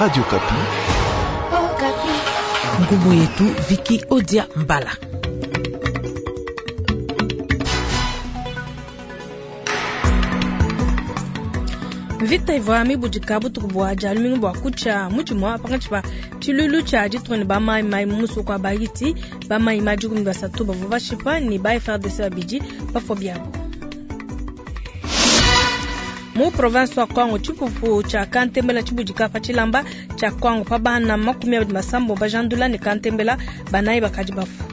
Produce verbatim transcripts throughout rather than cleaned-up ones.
Radio Okapi. Ngumu yetu Viki Odia Mbala. Mvita ivua mibudika butuku bua dia lumingu bua kutshia mudimua pankatshi pa tshilulu tshia ditunga ne ba mayimayi mu musoko wa Bahiti. Ba mayimayi dikumi basatu bavua bashipa ne ba F R D C babidi bafua biabo. Mu province wa Kwango, tshipupu tshia Kantembela tshibudika pa tshilamba tshia Kwango pa bana makumi abidi masambo bajandula ne Kantembela banayi bakadi bafua.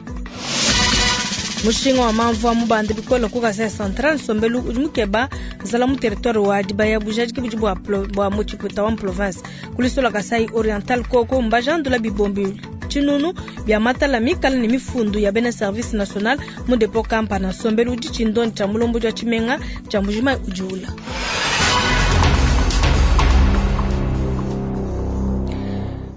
Mushinga wa mamvua mubanda bikole ku Kasai Central, nsombelu udi mukeba nzala mu territoire wa Dibaya bujadiki budi bua plo-, bua mu tshipuita wa province. Kulisola Kasai Oriental koko mbajandula bibombi tshinunu bia matala mikala ne mifundu ya bena service national mu depot kampana. Nsombelu udi tshindonyi tshia mulombodi wa tshimenga tshia Mbujimayi udiula.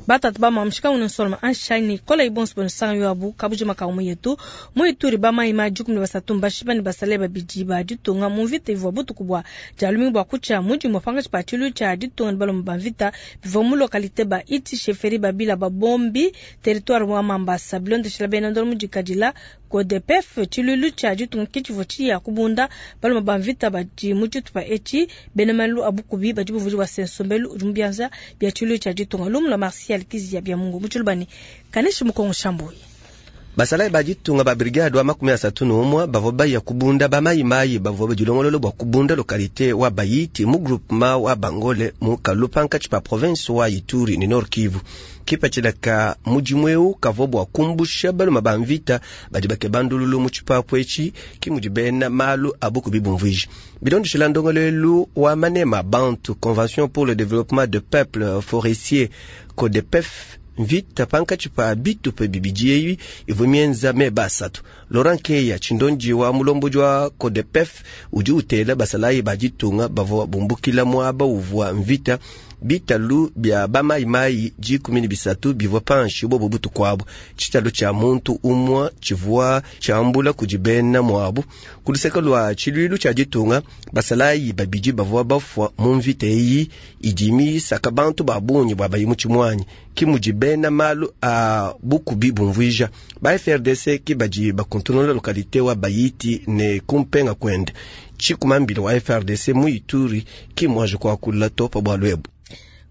Batatu ba mamushika uno nsoloma anshani kola ibonso bono sanga yabu kabujima ka umu yetu muituri ba mai ma dikumi basatu mbashiba ne basale babidi ba ditunga mu mvita ivua butuku bua dia lumingu bua kutshia mudi mupanga tshipa tshilu tshia ditunga ne balomba ba mvita bivua mu localité ba iti chefferie babila ba bombi territoire wa Mambasa bilondeshela bena ndolo mudikadila C O D P F tshilulu tshia ditunga kitshivua tshiya kubunda balomba ba mvita badi mu tshitupa etshi bena malu abukubi badi buvudi bua sensombelu udi mu bianza bia tshilulu tshia ditunga lumu la Martial Kizia bia Mungu mutshilubani kaneshi mukongo shambuyi. Basalayi ba ditunga ba brigade wa makumi asatu n'umwe bavua baya kubunda ba mayimayi bavua badilongolola bua kubunda localité wa Bayiti mu groupement wa Bangole mu Kalupa nkatshi pa province wa Ituri ne Nord Kivu. Kipatshila ka mudimu eu kavua bua kumbusha baluma ba mvita badi bakeba ndululu mu tshipapu etshi ki mudi bena malu abukubi bumvuija. Bilondeshela ndongoluelu wa manema bantu Convention pour le développement de peuples forestiers C O D P F mvita pankatshi pa bitupa bibidi ebi ivua mienza meba asatu. Laurent Keya tshindonji wa mulombodi wa C O D P F udi utela basalayi ba ditunga bavua bumbukila muaba uvua mvita bitalu bia bamayimayi dikumi ne bisatu bivua panshi bobo butuku abu. Tshitalu tshia muntu umue tshivua tshiambula kudi bena muabu. Ku luseke lua tshiluilu tshia ditunga basalayi babidi bavua bafua mu mvita eyi idi misaka bantu ba bungi bua bayi mu tshimuanyi. Ki mudi bena malu a bukubi bumvuija. Ba F R D C ki badi bakontrola localité wa Bayiti ne kumpenga kwende. Tshikumambila wa F R D C mu Ituri ki mwaje kuakula topa bua lwebu.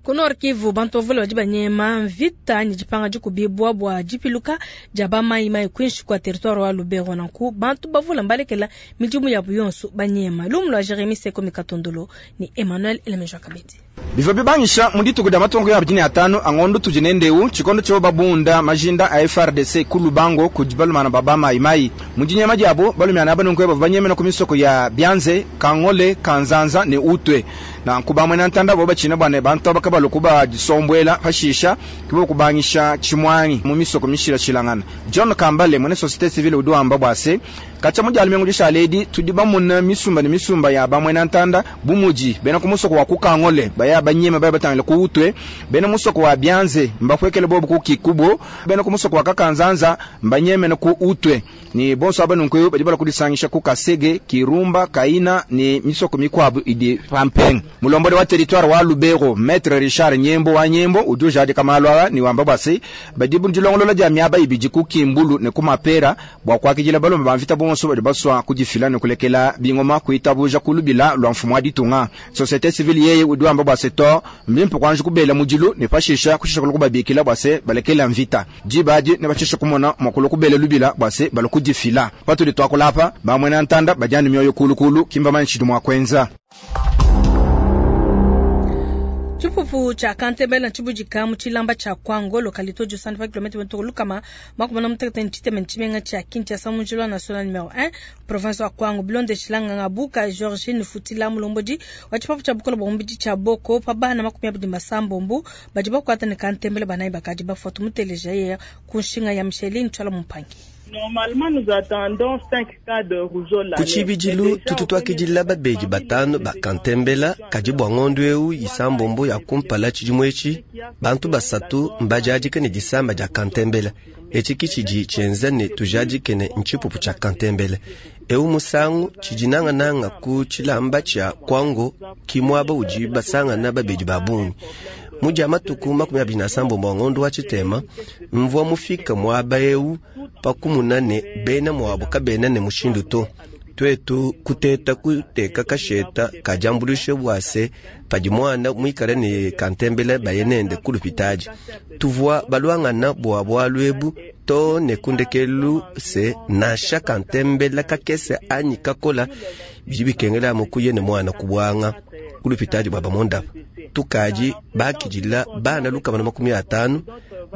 Ku Nord Kivu, bantu bavule badi banyema mvita ne dipanga dikubibua bua dipiluka dia ba mayimayi kuinshi kua territoire wa Lubero. Nanku bantu bavule mbalekela midimu yabu yonso banyema. Lumu lua Jeremy Seko Mikatondolo ne Emmanuel Elemejo Kabedi. Bivua bibangisha mu dituku dia matongo ya abidi ne atanu angondo tudi nendeu tshikondo tshio babunda majinda a F R D C ku Lubango kudi balumana ba ba mayimayi. Mu dinyema diabo balumana aba nunku bavua banyemena ku misoko ya Bianze, Kangole, Kanzanza ne Utwe. Nanku bamwe na ntanda bo bachina bwane bantu abakabalo kuba disombwela pashisha kibo kubangisha chimwangi mu misoko mishila shilangana. John Kambale mwene société civile udi wamba bwase kacha mu dialume ngudisha ledi tudi bamuna misumba ne misumba ya bamwe na ntanda bumuji bena ku musoko wa ku Kangole baya banyema baya batangile ku Utwe bena musoko wa Bianze mbakwekele bobu ku Kikubo bena ku musoko wa Kakanzanza mbanyeme na ku Utwe ni bonso abanunku badi bala kudisangisha ku Kasege Kirumba Kaina ni misoko mikwabu idi pampeng. Mulombodi wa territoire wa Lubero Maître Richard Nyembo wa Nyembo uduja de kamalwa ni wamba basi badi bundilongolola dia miaba ibidi ku Kimbulu ne ku Mapera bwa kwakijila balomba bamvita bonso badi baswa kudifila ne kulekela bingoma kuitabuja kulubila lwa mfumo wa ditunga. Société civile yeye uduamba bwase to mbimpe kwanje kubela mudilu ne pashisha kushisha kulukubabikila bwase balekela mvita dibadi ne bashisha kumona makulu kubela lubila bwase balukudifila patuli twakulapa bamwe na ntanda bajani mioyo kulukulu kimba manchi mwa kwenza. Tshipupu tshia Kantembela tshibudika mu tshilamba tshia Kwango localité du centre kilomètre vingt lukama makumi na mutekete ne tshitema ne tshimenga tshia Kinshasa mu njila national numéro un province wa Kwango bilonde tshilanga ngabuka Georgine Futila mulombodi wa tshipapu tshia bukola bua mubidi tshia Boko pa bana makumi abidi masambombo badi bakuata ne Kantembela banayi bakadi bafua tumuteleja ye ku nshinga ya Micheline Tshala Mumpangi. Normalement, nous attendons cinq cas de rougeole. Ku tshibidilu, tutu twakidila babedi batanu ba Kantembela kadi bua ngondo eu isambombo ya kumpala tshidimu etshi bantu basatu mbajadike ne disamba dia Kantembela. Etshi ki tshidi tshienza ne tujadike ne ntshipupu tshia Kantembela. Eu musangu tshidi nangananga ku tshilamba tshia Kwango ki muaba udi basangana babedi ba bungi. Mu dia matuku makumi abidi na asambombo a ngondo wa tshitema, mvua mufika muaba eu pakumuna ne bena muabu kabena ne mushindu to. Twetu kuteta kuteka kasheta kadiambulishe bua se padi mwana muikale ne kantembela baye nende kulupitaji. Tuvua balwangana bua bwalu ebu to ne kundekelu se nansha kantembela kakese anyi kakola bidi bikengela mukuye ne mwana kubwanga kulupitaji bwa bamondapa. Tukaji bakidila bana lukama na makumi atanu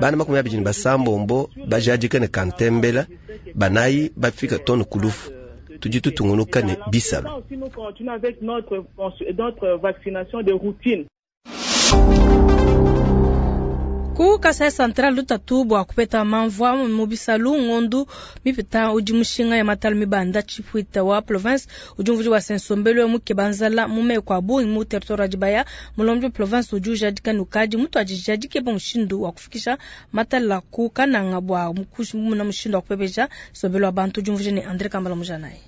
bana makumi abidi ne basambombo bajadika ne kantembela banayi bafika tonu kulufu. Tudi tutungunuka ne bisalu. Nous continuons avec notre, notre vaccination de routine. Ku Kasai Central lutatu bua kupeta mamvua mu bisalu ngondu mipita udi mushinga ya matala mibanda chipuita wa province udi mvudi wa sensombelo muke banzala mu meko a bungi mu territoire wa Dibaya mulombi wa province udi ujadika nukadi mutu ajijadike ba mushindu wa kufikisha matala ku kananga bua muna mushindu wa kupepeja sombelo wa bantu udi mvudi ne André Kambala Mujanaye.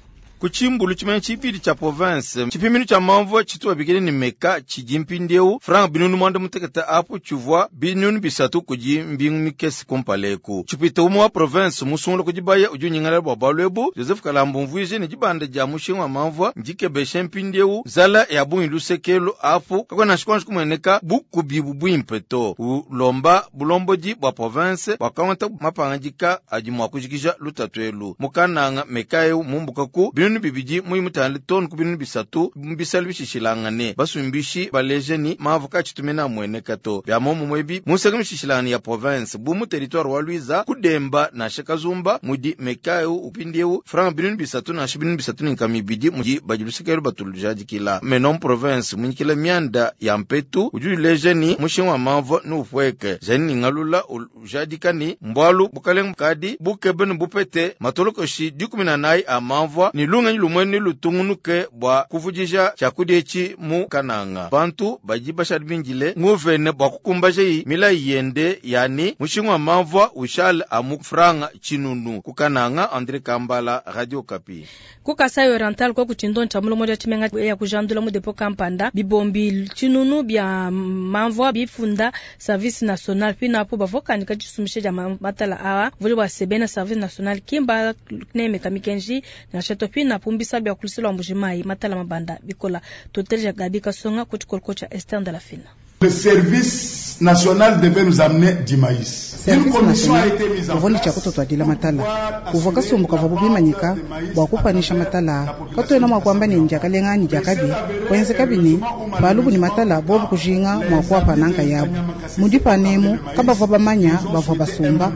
Kuchimbulu chimene chipiri cha province chipimino cha mamvua chituwa bikile ni meka chijimpindeu franc binunu mwanda muteketa apo chuvua binunu bisatu kuji mbingu mikesi kumpaleku chipita umu wa province musungula kujibaya uju nyingala bwa balwebu Joseph Kalambo mvuije ni jibanda ja mushinga wa mamvua njikebeshe mpindeu zala ya bungi lusekelo apo kakona shikwanshi kumweneka bukubi bwimpe to ulomba bulomboji bwa province bwakamata mapangajika aji mwa kujikija lutatwelu mukananga mekaeu mumbukaku binunu bibidi muyi mutale tonu ku binunu bisatu mbisali bishishilangane basumbishi baleje ni mavu kachitumena mweneka to bya momo mwebi museke mishishilangane ya province bu mu territoire wa Luiza kudemba na shakazumba mudi mekaeu upindieu franc binunu bisatu na shibinu bisatu ni kamibidi mudi bajilusekelu batulujadikila menom province munyikila mianda ya mpetu ujuleje ni mushinwa mavo ni ufweke jani ngalula ujadika ni mbwalu bukaleng kadi bukebe ni bupete matolokoshi dikumi na nayi a mamvua ni lunga lumweni lutungunuke bwa kuvujisha chakudiechi mu kananga bantu baji bashali bingile nguvene bwa kukumbaje yi mila yende yani mushinwa mamvua ushal amu franga chinunu kukananga André Kambala Radio Kapi. Ku Kasai Oriental kwa kuchindo ncha mulomo ja chimenga ya kujandula mu depo kampanda bibombi chinunu bya mamvua bifunda service national pina apo bavokandika chisumishe ja matala awa vuli bwa sebena service national kimba nemeka mikenji na chato pina pumbisa bya kulisela mbujimai matala mabanda bikola totelja Gabi Kasonga kuchikolko cha Esther de la Fina. Le service national devait nous amener du maïs. Une commission a été mise en place. Chakuto matala. Kuva kasumbu kava bubimanyika bwa kupanisha matala. Katwena mwa kwamba ni njakalenga ni jakabi. Kwenze kabini balubu ni matala bobu kujinga mwa kwa pananka yabo. Mudipa nemu kabava bamanya bava basumba.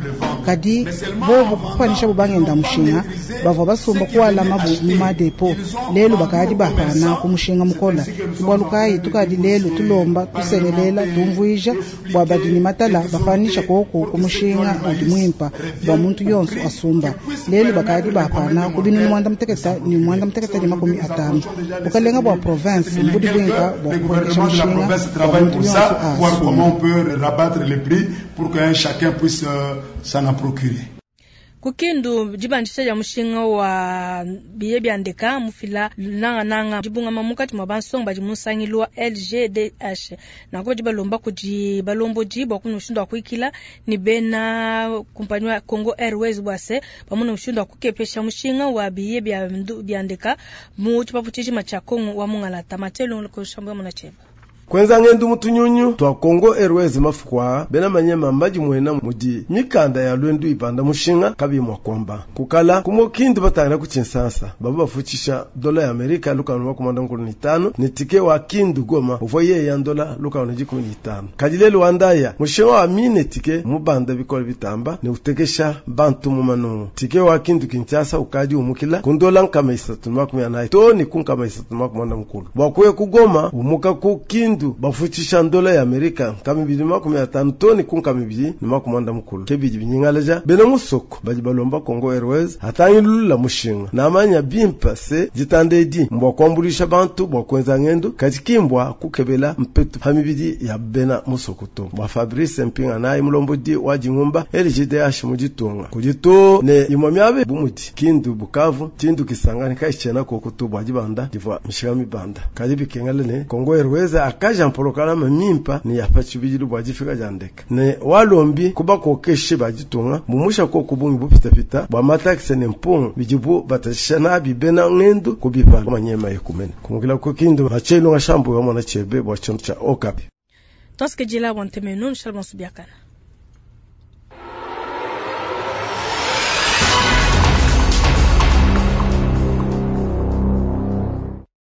Kadi bobu kupanisha bubangenda mushinga bava basumba kuala mabu muma depo. Lelu bakadi bapana kumushinga mukola. Bwalukai tukadi lelu tulomba tusene lela tumvuija bwa badini matala bafanisha koko kumushinga udi mwimpa bwa muntu yonso asumba lelu bakadi bapana kubinu mwanda muteketa ni mwanda muteketa ni makumi atano bukalenga bwa province mbudi bwinka bwa kuboresha mushinga bwa muntu yonso asumba. Comment on peut rabattre les prix pour que chacun puisse s'en procurer. Kukindu jibandisha ya mushinga wa biye byandeka mufila nanga nanga jibunga mamukati mwa bansonga baji musangilwa L G D H na ko jibalomba kuji balombo jibo kuno mushindo wa kuikila ni bena kumpanyo ya Congo Airways bwase pamoja mushindo wa kukepesha mushinga wa biye byandeka mu chipapu chijima cha Congo wa mungalata matelo ko shamba munacheba Kwenza ngendu mutunyunyu twa Congo Airways mafukwa bena manyema mbaji mwena mudi mikanda ya lwendu ipanda mushinga kabi mwa kwamba kukala kumokindu batangana kuchinsasa babu bafuchisha dola ya Amerika luka nwa kumanda nkulu ni tano ni tike wa kindu goma uvoye ya dola luka nwa jikumi ni tano kadile Rwanda mushinga wa mine tike mubanda bikole bitamba ni utekesha bantu mumanu tike wa kindu Kinshasa ukaji umukila kundola nkama isatu makumi anayi to ni kunkama isatu makumanda nkulu bwakuye kugoma umuka ku kindu bafuchisha ndola ya Amerika nkama ibili makumi atano toni kunkama ibili ni makumanda mukulu kebidi binyingalaja bena musoko baji balomba Congo Airways atangilula mushinga namanya bimpa se jitandedi mbwa kwambulisha bantu bwa kwenza ngendo kachikimbwa kukebela mpetu hamibidi ya bena musoko to bwa Fabrice Mpinga naye mulombodi wa jingumba L G D H mujitunga kujito ne imwamyabe bumuti kindu Bukavu tindu Kisangani kaichena kokutu bwa jibanda divwa mishika mibanda kadi bikengale ne Congo Airways Bakaja mpolokalama mimpa ne ya pa tshibidilu bua difika dia ndeke ne walombi kubakokeshe ba ditunga bumusha koku bungi bupitapita bua matakisi ne mpungu bidibu batashisha nabi bena ngendu kubipala manyema yekumene kumukila ku Kindu machelu ngashambu wa mwana chebe bua tshintu cha Okapi. Tuasikejela bua ntemenu, Michel Bonsubiakana.